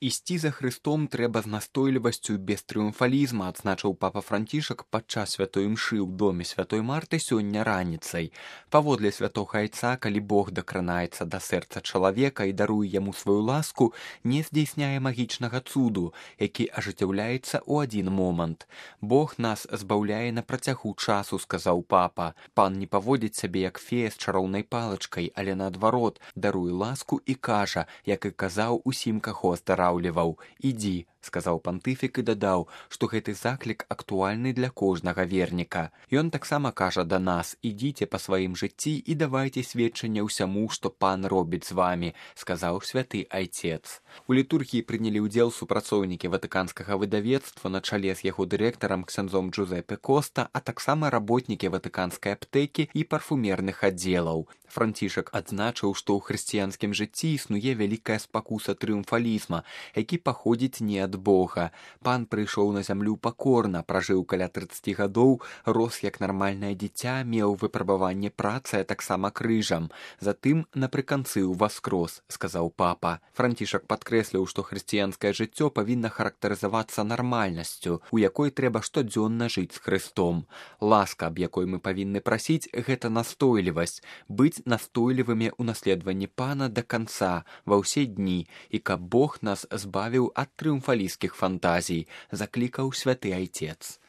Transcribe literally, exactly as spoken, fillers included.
Ісці за Хрыстом трэба з настойлівасцю без трыумфалізма, адзначыў папа Францішак падчас святой імшы ў доме святой Марты сёння раніцай. Паводле святога айца, калі Бог дакранаецца да сэрца чалавека і даруе яму сваю ласку, не здзейсняе магічнага цуду, які ажыццяўляецца ў адзін момант. Бог нас збаўляе на працягу часу, сказаў папа. Пан не паводзіць сябе як фея з чароўнай палачкай, але наадварот, даруе ласку і кажа, як і казаў усім, каго здараў. «Ідзі», — сказаў пантыфік і дадаў, што гэты заклік актуальны для кожнага верніка. Ён таксама кажа да нас: «Ідзіце па сваім жыцці і давайце сведчанне ўсяму, што пан робіць з вамі», — сказаў святы айцец. У літургіі прынялі ўдзел супрацоўнікі ватыканскага выдавецтва на чале з яго дырэктарам ксяндзом Джузепе Коста, а таксама работнікі ватыканскай аптэкі і парфумерных аддзелаў. Францішак адзначыў, што ў хрысціянскім жыцці існуе вялікая спакуса трыумфалізма, які паходзіць не ад Бога. Пан прыйшоў на зямлю пакорна, пражыў каля трыццаці гадоў, рос як нармальнае дзіця, меў выпрабаванне працы, а таксама крыжам. Затым напрыканцы ўваскрос, сказаў папа. Францішак падкрэсліў, што хрысціянскае жыццё павінна характарызавацца нармальнасцю, у якой трэба штодзённа жыць з Хрыстом. Ласка, аб якой мы павінны прасіць, гэта настойлівасць, быць настойлівымі ў наследаванні пана да канца, ва ўсе дні, і каб Бог нас збавіў ад трыумфалісцкіх фантазій, заклікаў святы айцец.